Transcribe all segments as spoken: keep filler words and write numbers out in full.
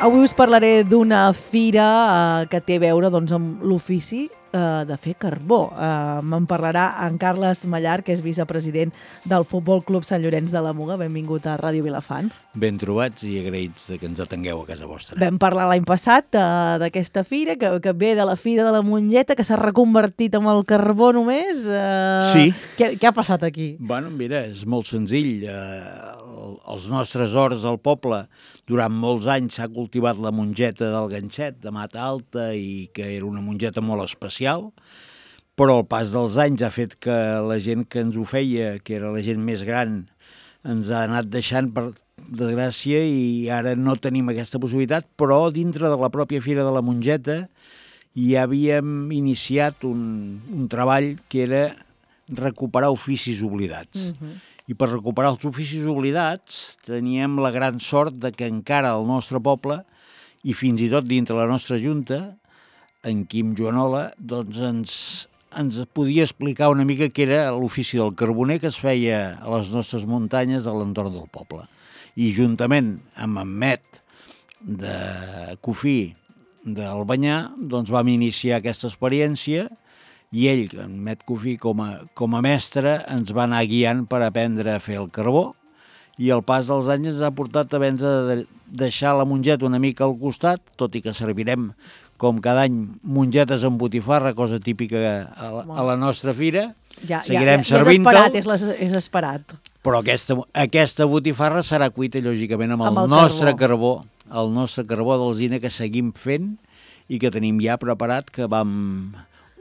Avui us parlaré d'una fira eh, que té a veure doncs, amb l'ofici eh, de fer carbó. Eh, me'n parlarà en Carles Mallar, que és vicepresident del Futbol Club Sant Llorenç de la Muga. Benvingut a Ràdio Vilafant. Ben trobats i agraïts que ens atengueu a casa vostra. Vam parlar l'any passat eh, d'aquesta fira, que, que ve de la Fira de la Monlleta, que s'ha reconvertit en el carbó només. Eh, Sí. Què, què ha passat aquí? Bueno, mira, és molt senzill. Eh, els nostres horts al poble, durant molts anys s'ha cultivat la mongeta del ganxet, de Mata Alta, i que era una mongeta molt especial, però el pas dels anys ha fet que la gent que ens ho feia, que era la gent més gran, ens ha anat deixant per desgràcia i ara no tenim aquesta possibilitat, però dintre de la pròpia Fira de la Mongeta hi havíem iniciat un, un treball que era recuperar oficis oblidats. Uh-huh. I per recuperar els oficis oblidats teníem la gran sort de que encara al nostre poble, i fins i tot dintre la nostra junta, en Quim Joanola, doncs ens, ens podia explicar una mica què era l'ofici del carboner que es feia a les nostres muntanyes de l'entorn del poble. I juntament amb en Met de Cofí d'Albanyà, doncs vam iniciar aquesta experiència i ell, en Met Cofí, com a, com a mestre, ens va anar guiant per aprendre a fer el carbó i el pas dels anys ens ha portat a haver de deixar la mongeta una mica al costat, tot i que servirem com cada any mongetes amb botifarra, cosa típica a la, a la nostra fira. Ja, Seguirem ja, ja, servint-ho. Ja és esperat, és, les, és esperat. Però aquesta, aquesta botifarra serà cuita, lògicament, amb el, amb el nostre carbó. carbó, el nostre carbó d'alzina que seguim fent i que tenim ja preparat, que vam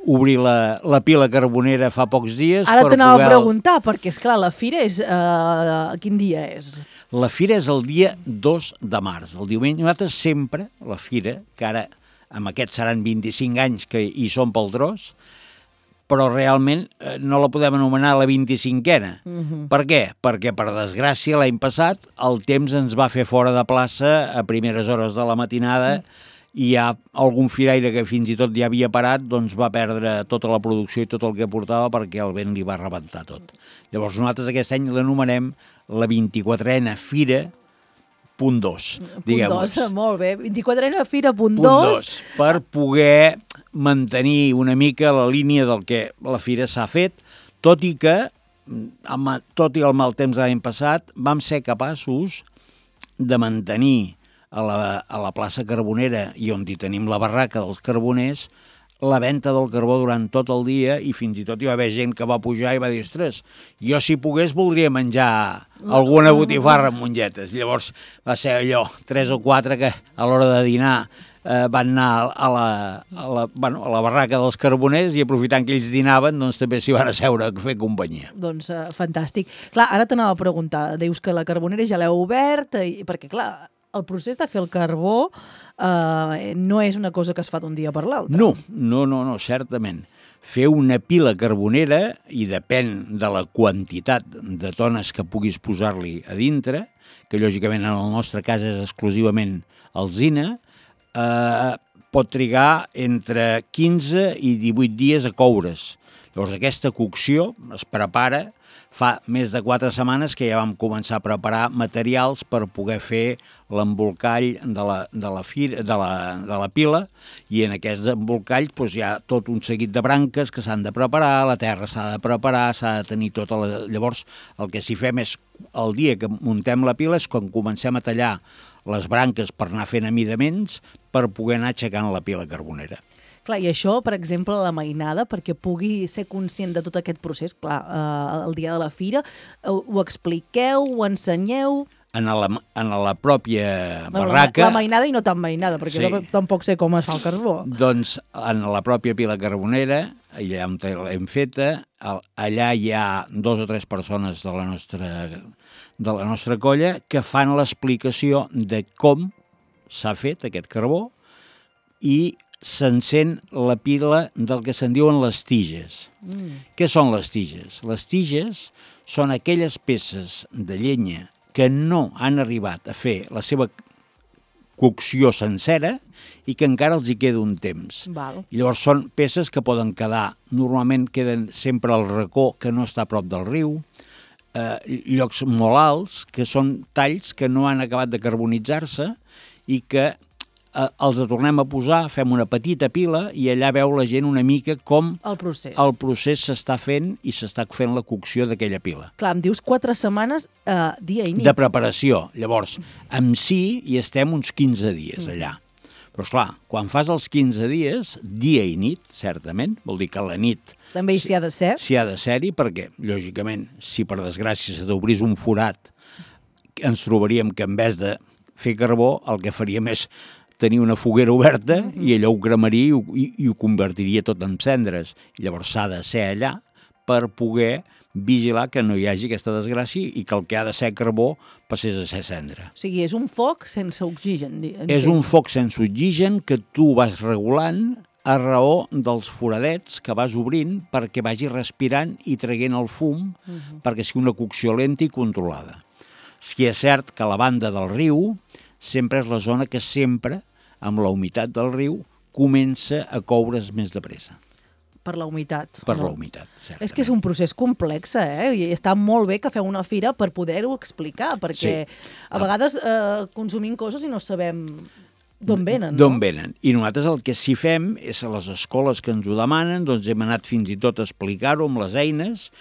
obrir la, la pila carbonera fa pocs dies. Ara per t'anava poder... a preguntar, perquè, esclar, la fira és... Uh, quin dia és? La fira és el dia dos de març, el diumenge. Nosaltres sempre, la fira, que ara amb aquests seran vint-i-cinc anys que hi som pel tros, però realment eh, no la podem anomenar la vint-i-cinquena. Uh-huh. Per què? Perquè, per desgràcia, l'any passat el temps ens va fer fora de plaça a primeres hores de la matinada uh-huh. i hi ha algun firaire que fins i tot ja havia parat, doncs va perdre tota la producció i tot el que portava perquè el vent li va rebentar tot. Llavors nosaltres aquest any l'anomenem la vint-i-quatrena Fira punt dos, diguem-ho. Punt dos, molt bé. vint-i-quatrena Fira punt Punt dos. dos, per poder mantenir una mica la línia del que la fira s'ha fet, tot i que, amb, tot i el mal temps de l'any passat, vam ser capaços de mantenir a la, a la plaça Carbonera, i on hi tenim la barraca dels carboners, la venda del carbó durant tot el dia, i fins i tot hi va haver gent que va pujar i va dir, ostres, jo si pogués voldria menjar alguna botifarra amb mongetes. Llavors va ser allò, tres o quatre que a l'hora de dinar eh, van anar a la, a, la, bueno, a la barraca dels carboners i aprofitant que ells dinaven, doncs també s'hi van asseure a fer companyia. Doncs uh, fantàstic. Clar, ara t'anava a preguntar, dius que la Carbonera ja l'heu obert, i, perquè clar, el procés de fer el carbó eh, no és una cosa que es fa d'un dia per l'altre. No, no, no, no, certament. Fer una pila carbonera, i depèn de la quantitat de tones que puguis posar-li a dintre, que lògicament en el nostre cas és exclusivament alzina, eh, pot trigar entre quinze i divuit dies a coure's. Llavors aquesta cocció es prepara. Fa més de quatre setmanes que ja vam començar a preparar materials per poder fer l'embolcall de la, de la, fira, de la, de la pila, i en aquest embolcall doncs, hi ha tot un seguit de branques que s'han de preparar, la terra s'ha de preparar, s'ha de tenir tota la... Llavors, el que s'hi fem és, el dia que muntem la pila, és quan comencem a tallar les branques per anar fent amidaments per poder anar aixecant la pila carbonera. Clar, i això, per exemple, la mainada, perquè pugui ser conscient de tot aquest procés, clar, eh, el dia de la fira, ho, ho expliqueu, ho ensenyeu... En la, en la pròpia barraca... La, la mainada i no tan mainada, perquè sí. Tampoc sé com es fa el carbó. Doncs en la pròpia pila carbonera, allà on l'hem feta, allà hi ha dos o tres persones de la nostra, de la nostra colla que fan l'explicació de com s'ha fet aquest carbó i s'encén la pila del que se'n diuen les tiges. Mm. Què són les tiges? Les tiges són aquelles peces de llenya que no han arribat a fer la seva cocció sencera i que encara els hi queda un temps. Val. I llavors són peces que poden quedar, normalment queden sempre al racó que no està a prop del riu, eh, llocs molt alts, que són talls que no han acabat de carbonitzar-se i que eh, els tornem a posar, fem una petita pila i allà veu la gent una mica com el procés el procés s'està fent i s'està fent la cocció d'aquella pila. Clar, em dius quatre setmanes, eh, dia i nit. De preparació. Llavors, en si hi estem uns quinze dies allà. Però, esclar, quan fas els quinze dies, dia i nit, certament, vol dir que la nit... També s'hi ha de ser. S'hi ha de ser-hi, perquè, lògicament, si per desgràcia se t'obrís un forat, ens trobaríem que en vez de fer carbó, el que faríem és tenir una foguera oberta mm-hmm. i allò ho cremaria i ho, i, i ho convertiria tot en cendres. Llavors s'ha de ser allà per poder vigilar que no hi hagi aquesta desgràcia i que el que ha de ser carbó passés a ser cendra. O sigui, és un foc sense oxigen. Entenc. És un foc sense oxigen que tu vas regulant a raó dels foradets que vas obrint perquè vagi respirant i traient el fum uh-huh. perquè sigui una cocció lenta i controlada. Si és cert que la banda del riu sempre és la zona que sempre, amb la humitat del riu, comença a coure's més de pressa. Per la humitat. Per la humitat, certament. És que és un procés complex, eh? I està molt bé que feu una fira per poder-ho explicar, perquè sí. a vegades eh, consumim coses i no sabem d'on venen. D'on no? venen. I nosaltres el que sí fem és a les escoles que ens ho demanen, doncs hem anat fins i tot a explicar-ho amb les eines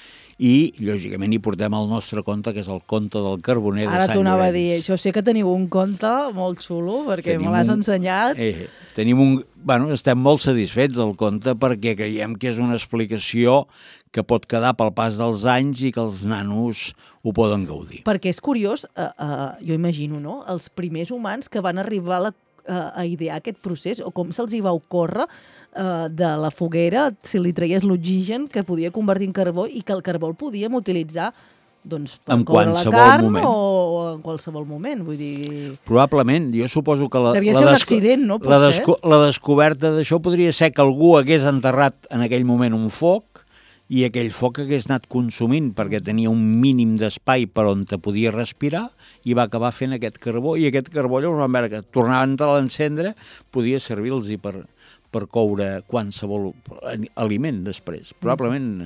i, lògicament, hi portem el nostre conte, que és el conte del carboner de Sant Llorenç. Ara t'ho anava a dir, això sé que teniu un conte molt xulo, perquè tenim me l'has un... ensenyat. Eh, tenim un... Bueno, estem molt satisfets del conte perquè creiem que és una explicació que pot quedar pel pas dels anys i que els nanos ho poden gaudir. Perquè és curiós, eh, eh, jo imagino, no?, els primers humans que van arribar a, la, eh, a idear aquest procés, o com se'ls hi va ocórrer eh, de la foguera, si li traies l'oxigen que podia convertir en carbó i que el carbó el podíem utilitzar doncs, per en coure la carn moment. o en qualsevol moment, vull dir... Probablement, jo suposo que la, devia la, ser un desco accident, no? la, desco la descoberta d'això podria ser que algú hagués enterrat en aquell moment un foc i aquell foc hagués anat consumint perquè tenia un mínim d'espai per on te podia respirar i va acabar fent aquest carbó i aquest carbó llavors van veure que tornaven a l'encendre podia servir-los per, per coure qualsevol aliment després. Probablement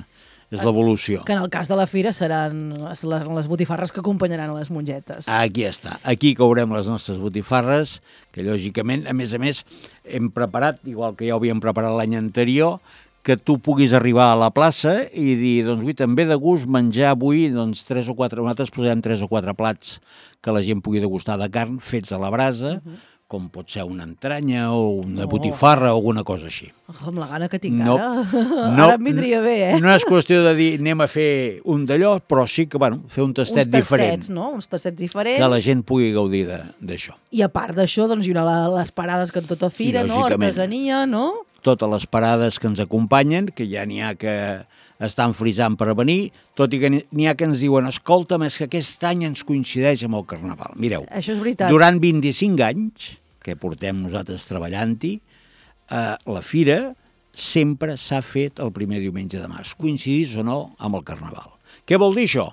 és l'evolució. Que en el cas de la fira seran les, les botifarres que acompanyaran a les mongetes. Aquí està. Aquí courem les nostres botifarres, que lògicament, a més a més, hem preparat, igual que ja ho havíem preparat l'any anterior, que tu puguis arribar a la plaça i dir, doncs, ui, també de gust menjar avui, doncs, tres o quatre, nosaltres posem tres o quatre plats que la gent pugui degustar de carn fets a la brasa, uh-huh. com pot ser una entranya o una oh. botifarra o alguna cosa així. Oh, amb la gana que tinc no, ara. No, ara em vindria bé, eh? No és qüestió de dir anem a fer un d'allò, però sí que, bueno, fer un tastet diferent. Uns tastets, no? Uns tastets diferents. Que la gent pugui gaudir d'això. I a part d'això, doncs hi haurà les parades que en tota fira, no? Artesania, no? Totes les parades que ens acompanyen, que ja n'hi ha que estan frisant per venir, tot i que n'hi ha que ens diuen escolta, és que aquest any ens coincideix amb el Carnaval. Mireu, això és veritat. Durant vint-i-cinc anys que portem nosaltres treballant-hi, eh, la fira sempre s'ha fet el primer diumenge de març, coincidís o no amb el Carnaval. Què vol dir això?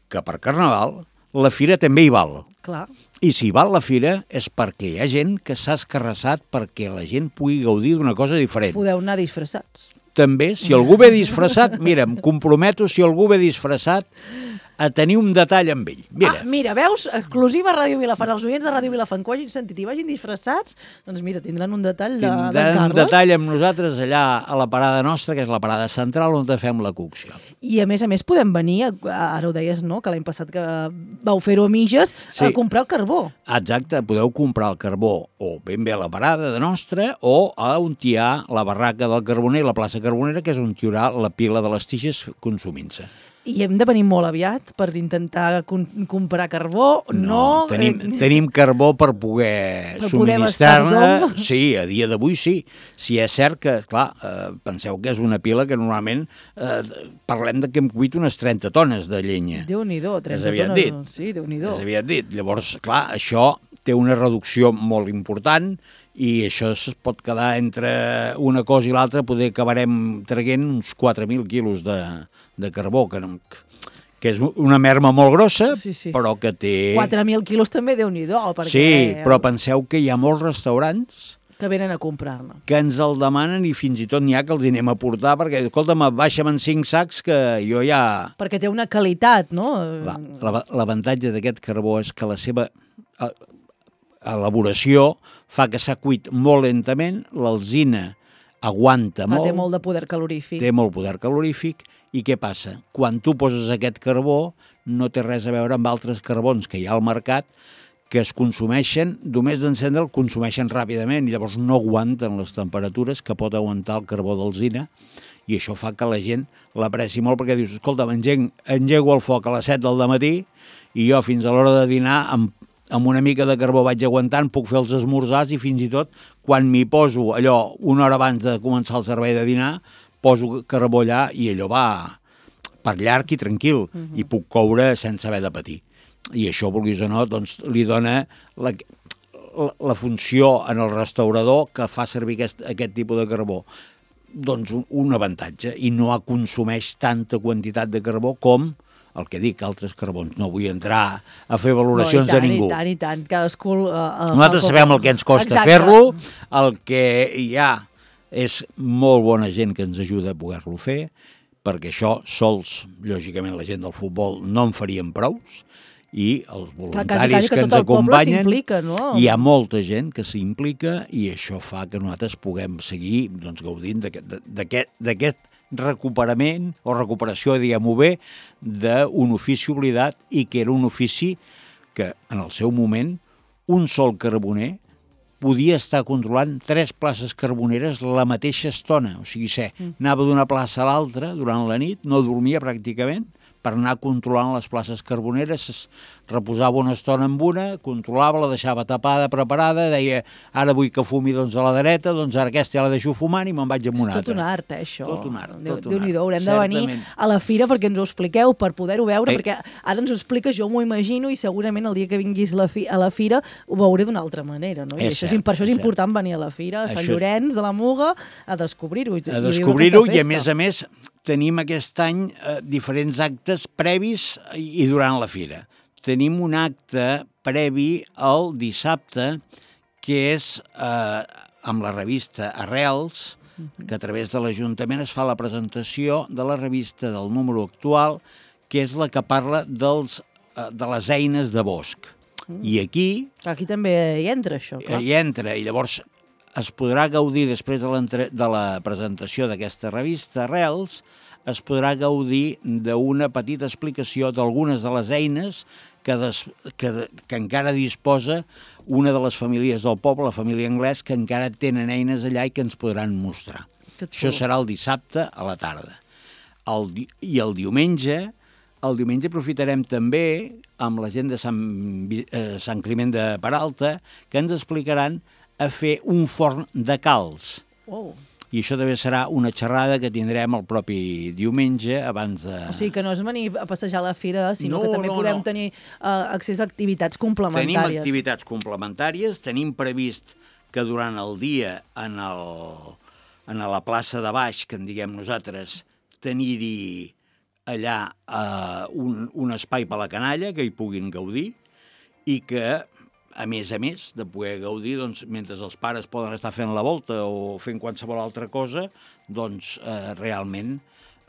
Que per Carnaval la fira també hi val. Clar. I si val la fira és perquè hi ha gent que s'ha escarrassat perquè la gent pugui gaudir d'una cosa diferent. Podeu anar disfressats. També, si algú ve disfressat, mira, em comprometo, si algú ve disfressat, a tenir un detall amb ell. Mira, ah, mira veus? Exclusiva a Ràdio Vilafant. Els oients de Ràdio Vilafant que ho hagin sentit i vagin disfressats, doncs mira, tindran un detall de, tindran de Carles. un detall amb nosaltres allà a la parada nostra, que és la parada central, on fem la cocció. I a més a més podem venir, ara ho deies, no?, que l'any passat que vau fer-ho a mitges, sí. a comprar el carbó. Exacte, podeu comprar el carbó o ben bé a la parada de nostra o a on hi ha la barraca del Carboner, la plaça Carbonera, que és on hi haurà la pila de les tiges consumint-se. I hem de venir molt aviat per intentar comprar carbó, no? No, tenim, tenim carbó per poder subministrar-ne. Sí, a dia d'avui sí. Si és cert que, clar, eh, penseu que és una pila que normalment eh, parlem de que hem cuit unes trenta tones de llenya. Déu-n'hi-do, trenta tones. Dit. Sí, Déu-n'hi-do. És aviat dit. Llavors, clar, això té una reducció molt important i això es pot quedar entre una cosa i l'altra, poder acabarem traient uns quatre mil quilos de, de carbó, que, no, que és una merma molt grossa, sí, sí. però que té... quatre mil quilos també, Déu-n'hi-do. Perquè... Sí, però penseu que hi ha molts restaurants que venen a comprar-ne. Que ens el demanen i fins i tot n'hi ha que els hi anem a portar perquè, escolta'm, baixa'm en cinc sacs que jo ja... Perquè té una qualitat, no? L'avantatge d'aquest carbó és que la seva... elaboració fa que s'ha cuit molt lentament, l'alzina aguanta Clar, molt. té molt de poder calorífic. Té molt poder calorífic. I què passa? Quan tu poses aquest carbó, no té res a veure amb altres carbons que hi ha al mercat, que es consumeixen, només d'encendre el consumeixen ràpidament i llavors no aguanten les temperatures que pot aguantar el carbó d'alzina, i això fa que la gent l'apreci molt perquè dius, escolta, engego, engego el foc a les set del matí i jo fins a l'hora de dinar amb, amb una mica de carbó vaig aguantant, puc fer els esmorzars i fins i tot quan m'hi poso allò una hora abans de començar el servei de dinar, poso carbó allà i allò va per llarg i tranquil, uh-huh. i puc coure sense haver de patir. I això, vulguis o no, doncs, li dona la, la, la funció en el restaurador que fa servir aquest, aquest tipus de carbó. Doncs un, un avantatge, i no consumeix tanta quantitat de carbó com el que dic, altres carbons. No vull entrar a fer valoracions no, tant, de ningú. I tant, i tant. Cadascú... Uh, uh, Nosaltres sabem el que ens costa fer-lo, el que hi ha és molt bona gent que ens ajuda a poder-lo fer, perquè això sols, lògicament, la gent del futbol no en farien prous, i els voluntaris quasi, quasi que, que ens acompanyen, no? Hi ha molta gent que s'implica i això fa que nosaltres puguem seguir doncs, gaudint d'aquest recuperament o recuperació, diguem-ho bé, d'un ofici oblidat i que era un ofici que en el seu moment un sol carboner podia estar controlant tres places carboneres la mateixa estona. O sigui, sé, anava d'una plaça a l'altra durant la nit, no dormia pràcticament, per anar controlant les places carboneres, es reposava una estona amb una, controlava, la deixava tapada, preparada, deia, ara vull que fumi doncs, a la dreta, doncs ara aquesta ja la deixo fumant i me'n vaig amb una altra. És tot un art, eh, això. Tot un art. Déu, tot un Déu-n'hi-do, haurem certament. de venir a la fira perquè ens ho expliqueu, per poder-ho veure, Ei. perquè ara ens ho expliques, jo m'ho imagino, i segurament el dia que vinguis la fi, a la fira ho veuré d'una altra manera, no? I És això, cert, per això és és important venir a la fira, a Sant Això... Llorenç de la Muga, a descobrir-ho. A descobrir-ho i, a més a més, tenim aquest any eh, diferents actes previs i, i durant la fira. Tenim un acte previ el dissabte, que és eh, amb la revista Arrels, que a través de l'Ajuntament es fa la presentació de la revista del número actual, que és la que parla dels, eh, de les eines de bosc. Mm. I aquí... Aquí també hi entra, això, clar. Hi entra, i llavors es podrà gaudir, després de, de la presentació d'aquesta revista Arrels, es podrà gaudir d'una petita explicació d'algunes de les eines que, des, que, que encara disposa una de les famílies del poble, la família Anglès, que encara tenen eines allà i que ens podran mostrar. Això serà el dissabte a la tarda. El, I el diumenge, el diumenge aprofitarem també amb la gent de Sant, eh, Sant Climent de Peralta, que ens explicaran a fer un forn de calç. Wow. I això també serà una xerrada que tindrem el propi diumenge abans de... O sigui, que no és venir a passejar a la fira, sinó no, que també no, podem no. tenir uh, accés a activitats complementàries. Tenim activitats complementàries, tenim previst que durant el dia en, el, en la plaça de baix, que en diguem nosaltres, tenir-hi allà uh, un, un espai per a la canalla, que hi puguin gaudir, i que... a més a més de poder gaudir, doncs, mentre els pares poden estar fent la volta o fent qualsevol altra cosa, doncs eh, realment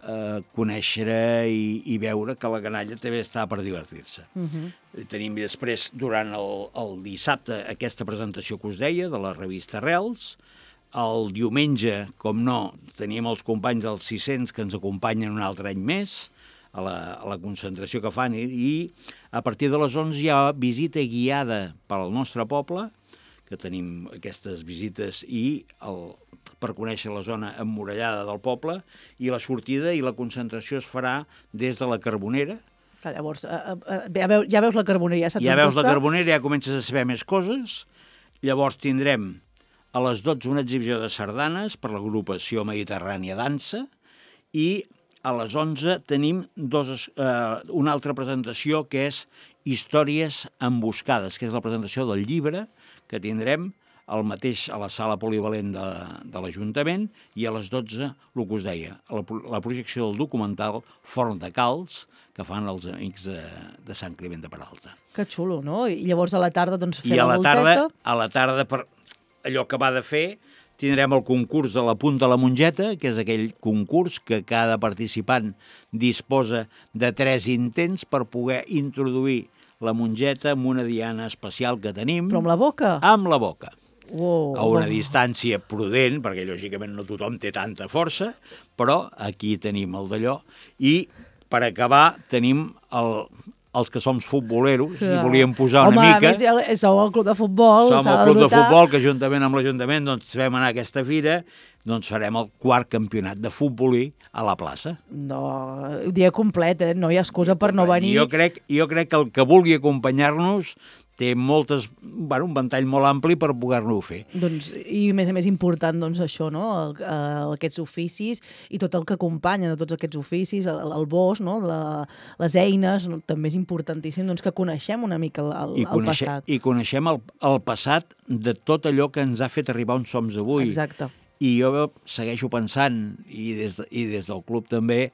eh, conèixer i, i veure que la canalla també està per divertir-se. Uh-huh. Tenim després, durant el, el dissabte, aquesta presentació que us deia, de la revista Arrels. El diumenge, com no, tenim els companys dels sis-cents que ens acompanyen un altre any més, a la, a la concentració que fan, i, i a partir de les onze hi ha visita guiada per al nostre poble, que tenim aquestes visites i el, per conèixer la zona emmurallada del poble, i la sortida i la concentració es farà des de la Carbonera. Que llavors, uh, uh, ja, veus, ja veus la Carbonera, ja saps ja on veus està. La Carbonera, ja comences a saber més coses. Llavors tindrem a les dotze una exhibició de sardanes per l'agrupació Mediterrània Dansa, i a les onze tenim dos, eh, una altra presentació que és Històries emboscades, que és la presentació del llibre que tindrem al mateix a la sala polivalent de, de l'Ajuntament, i a les dotze, el que us deia, la, la projecció del documental Forn de Calç, que fan els amics de, de Sant Climent de Peralta. Que xulo, no? I llavors a la tarda doncs fer I a la la volteta. tarda, a la tarda, per allò que va de fer, tindrem el concurs de la punta a la mongeta, que és aquell concurs que cada participant disposa de tres intents per poder introduir la mongeta amb una diana especial que tenim. Però amb la boca? Amb la boca. Oh, a una oh. distància prudent, perquè lògicament no tothom té tanta força, però aquí tenim el d'allò. I per acabar tenim el, els que som futboleros, i volíem posar una Home, mica... Home, a més, sou el club de futbol. Som el club de futbol, que juntament amb l'Ajuntament doncs, vam anar a aquesta fira, doncs farem el quart campionat de futbolí a la plaça. No, dia complet, eh? No hi ha excusa per no venir. Jo crec, jo crec que el que vulgui acompanyar-nos té moltes, bueno, un ventall molt ampli per poder-lo fer. Doncs, i a més a més important, doncs, això, no? El, el, aquests oficis i tot el que acompanya de tots aquests oficis, el, el bosc, no? La, les eines, no? També és importantíssim doncs, que coneixem una mica el, el, I coneixem, el passat. I coneixem el, el passat de tot allò que ens ha fet arribar on som avui. Exacte. I jo segueixo pensant, i des, de, i des del club també,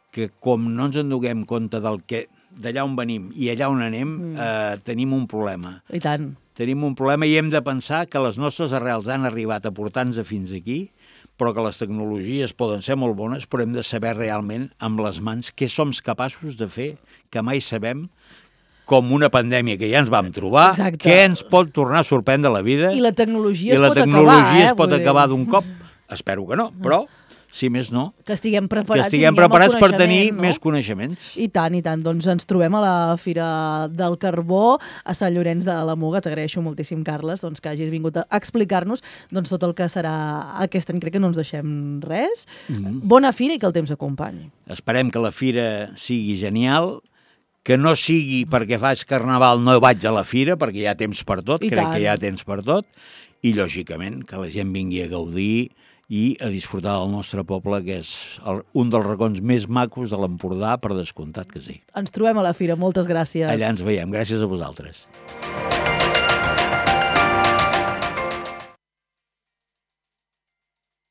que com no ens en donem compte del que d'allà on venim i allà on anem, mm. eh, tenim un problema. I tant. Tenim un problema i hem de pensar que les nostres arrels han arribat a portar-nos fins aquí, però que les tecnologies poden ser molt bones, però hem de saber realment amb les mans què som capaços de fer, que mai sabem, com una pandèmia que ja ens vam trobar, Exacte. Què ens pot tornar a sorprendre la vida. I la tecnologia I es la pot tecnologia acabar, eh? es pot acabar d'un cop. Espero que no, però... si més no, que estiguem preparats, que estiguem preparats per tenir no? més coneixements. I tant, i tant. Doncs ens trobem a la Fira del Carbó a Sant Llorenç de la Muga. T'agraeixo moltíssim, Carles, doncs, que hagis vingut a explicar-nos doncs, tot el que serà aquest any. Crec que no ens deixem res. Mm-hmm. Bona fira i que el temps acompanyi. Esperem que la fira sigui genial, que no sigui perquè faig carnaval no vaig a la fira, perquè hi ha temps per tot, I crec tant. que hi ha temps per tot, i lògicament que la gent vingui a gaudir i a disfrutar del nostre poble, que és el, un dels racons més macos de l'Empordà, per descomptat que sí. Ens trobem a la fira. Moltes gràcies. Allà ens veiem. Gràcies a vosaltres.